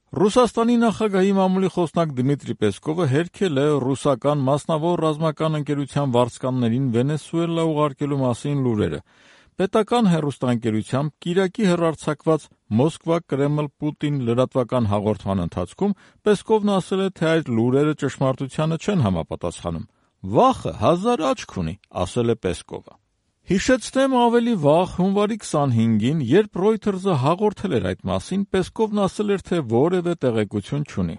Ռուսաստանի նախագահի մամուլի խոսնակ Դմիտրի Պեսկովը հերքել է ռուսական մասնավոր ռազմական ընկերության վարձկաններին Վենեսուելա ուղարկելու մասին լուրերը։ Պետական հեռուստաընկերությամբ կիրակի հեռարձակված Մոսկվա-Կրեմլ-Պուտին լրատվական հաղորդման ընթացքում Պեսկովն ասել է, թե այդ լուրերը ճշմարտությանը չեն համապատասխանում։ «Վախը հազար աչք ունի», ասել է Պեսկովը։ Հիշեցնեմ, ավելի վաղ, հունվարի 25-ին, երբ Reuters-ը հաղորդել էր այդ մասին, Պեսկովն ասել էր, թե որևէ տեղեկություն չունի։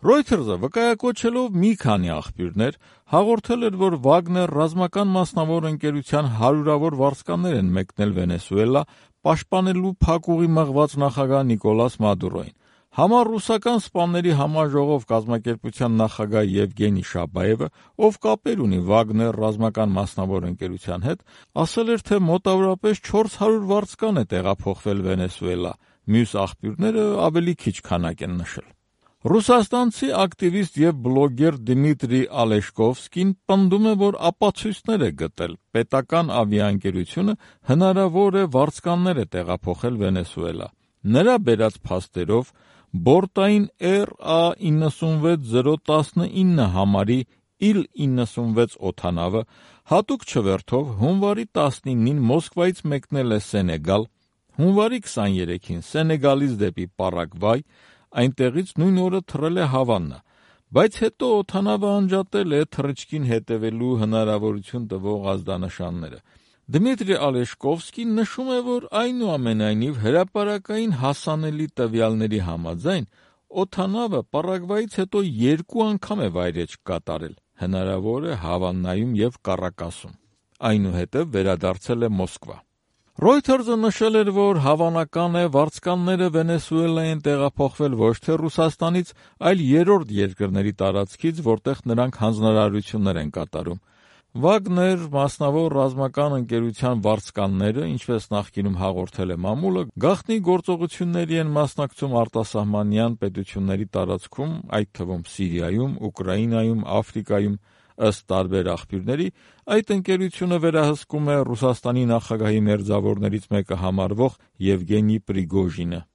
Reuters-ը, վկայակոչելով մի քանի աղբյուրներ, հաղորդել էր, որ Վագներ ռազմական մասնավոր ընկերության հարյուրավոր վարձկաններ են մեկնել Վենեսուելա, պաշտպանելու փակուղի մղված նախագահ Նիկոլաս Մադուրոին։ Համառուսական սպաների համաժողով կազմակերպության նախագահ Եվգենի Շաբաևը, ով կապեր ունի Վագներ ռազմական մասնավոր ընկերության հետ, ասել էր, թե մոտավորապես 400 վարձկան է տեղափոխվել Վենեսուելա, մյուս աղբյուրները ավելի քիչ քանակ են նշել։ Ռուսաստանցի ակտիվիստ և բլոգեր Դմիտրի Ալեշկովսկին պնդում է, որ ապացույցներ է գտել պետական ավիաընկերությունը հնարավոր է վարձկաններ է տեղափոխել Վենեսուելա։ Նրա բերած փաստերով բորտային RA96019 համարի Il-96 օդանավը հատուկ չվերթով հունվարի 19-ին Մոսկվայից մեկնել է Սենեգալ, հունվարի 23-ին Սենեգալից դեպի Պարագվայ, այնտեղից նույն օրը թռել է Հավաննա, բայց հետո օդանավը անջատել է թռիչքին հետևելու հնարավորություն տվող ազդանշանները։ Դմիտրի Ալեշկովսկին նշում է, որ այնուամենայնիվ հրապարակային հասանելի տվյալների համաձայն օդանավը Պարագվայից հետո 2 անգամ է վայրէջք կատարել, հնարավոր է Հավաննայում և Կարակասում, այնուհետև վերադարձել է Մոսկվա։ Reuters-ը նշել էր, որ հավանական է վարձկանները Վենեսուելա են տեղափոխվել ոչ թե Ռուսաստանից, այլ երրորդ երկրների տարածքից, որտեղ նրանք հանձնարարություններ են կատարում։ Վագներ մասնավոր ռազմական ընկերության վարձկանները, ինչպես նախկինում հաղորդել է մամուլը, գաղտնի գործողությունների են մասնակցում արտասահմանյան պետությունների տարածքում, այդ թվում Սիրիայում, Ուկրաինայում, Աֆրիկայում, ըստ տարբեր աղբյուրների, այդ ընկերությունը վերահսկում է Ռուսաստանի նախագահի մերձավորներից մեկը համարվող Եվգենի Պրիգոժինը։